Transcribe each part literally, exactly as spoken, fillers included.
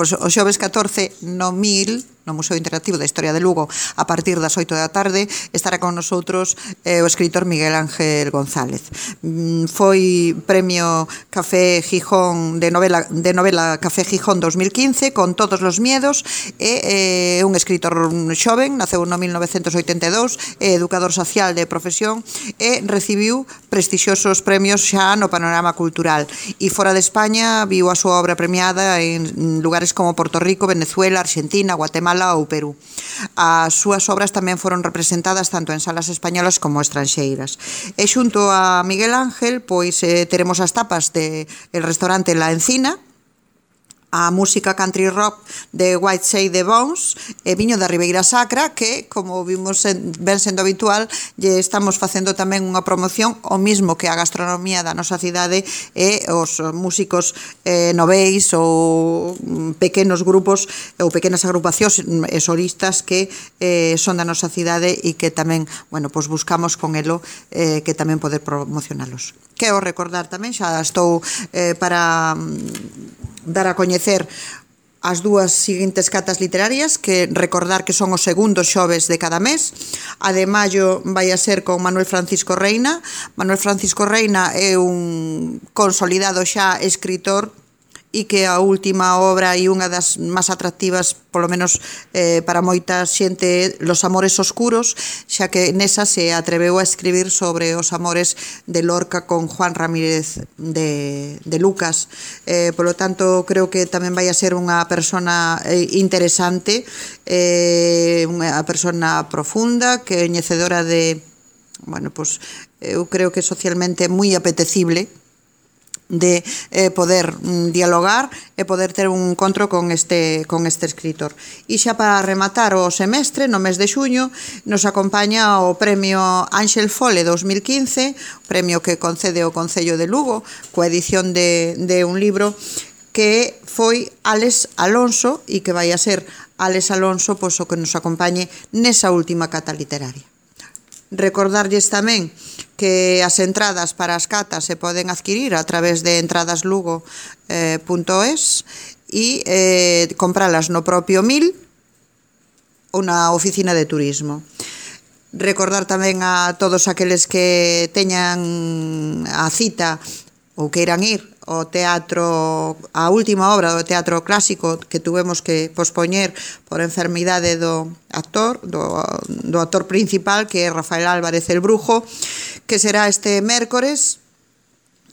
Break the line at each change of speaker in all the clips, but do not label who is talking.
pois, o xoves catorce no mil, no Museo Interactivo da Historia de Lugo, a partir das oito da tarde, estará con nosotros eh, o escritor Miguel Ángel González. Mm, foi premio Café Gijón de novela, de novela Café Gijón dos mil quince, con Todos los miedos, e eh, un escritor xoven, naceu no mil novecentos oitenta e dous, é educador social de profesión, e recibiu prestixiosos premios xa no panorama cultural. E fora de España viu a súa obra premiada en lugares como Porto Rico, Venezuela, Argentina, Guatemala ou Perú. As súas obras tamén foron representadas tanto en salas españolas como estranxeiras. E xunto a Miguel Ángel, pois eh, teremos as tapas de el restaurante La Encina, a música country rock de White Shade de Bones e viño da Ribeira Sacra, que, como vimos en, ben sendo habitual, lle estamos facendo tamén unha promoción o mismo que a gastronomía da nosa cidade e os músicos eh, noveis ou pequenos grupos ou pequenas agrupacións e solistas que eh, son da nosa cidade e que tamén, bueno, pois buscamos con elo eh, que tamén poder promocionalos. Quero recordar tamén, xa estou eh, para dar a coñecer as dúas seguintes catas literarias, que recordar que son os segundos xoves de cada mes. A de maio vai a ser con Manuel Francisco Reina. Manuel Francisco Reina é un consolidado xa escritor e que a última obra e unha das máis atractivas, polo menos eh, para moita xente, Los amores oscuros, xa que nesa se atreveu a escribir sobre os amores de Lorca con Juan Ramírez de, de Lucas. Eh, polo tanto, creo que tamén vai a ser unha persona eh, interesante, eh, unha persona profunda, que é coñecedora de, bueno, pues, eu creo que socialmente moi apetecible de eh, poder mm, dialogar e poder ter un encontro con este, con este escritor. E xa para rematar o semestre, no mes de xuño, nos acompaña o premio Ángel Fole dos mil quince, premio que concede o Concello de Lugo, coa edición de, de un libro que foi Álex Alonso e que vai a ser Álex Alonso pois, o que nos acompañe nesa última cata literaria. Recordarlles tamén que as entradas para as catas se poden adquirir a través de entradaslugo punto es e eh, compralas no propio Mil ou na oficina de turismo. Recordar tamén a todos aqueles que teñan a cita ou queiran ir ao teatro, a última obra do teatro clásico que tuvemos que pospoñer por enfermidade do actor, do, do actor principal, que é Rafael Álvarez el Brujo, que será este mércores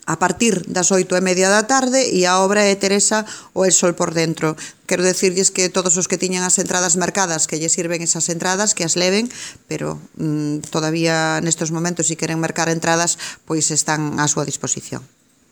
a partir das oito e media da tarde, e a obra é Teresa o el sol por dentro. Quero decirlles que todos os que tiñan as entradas mercadas, que lle sirven esas entradas, que as leven, pero mmm, todavía nestes momentos, se queren mercar entradas, pois están á súa disposición.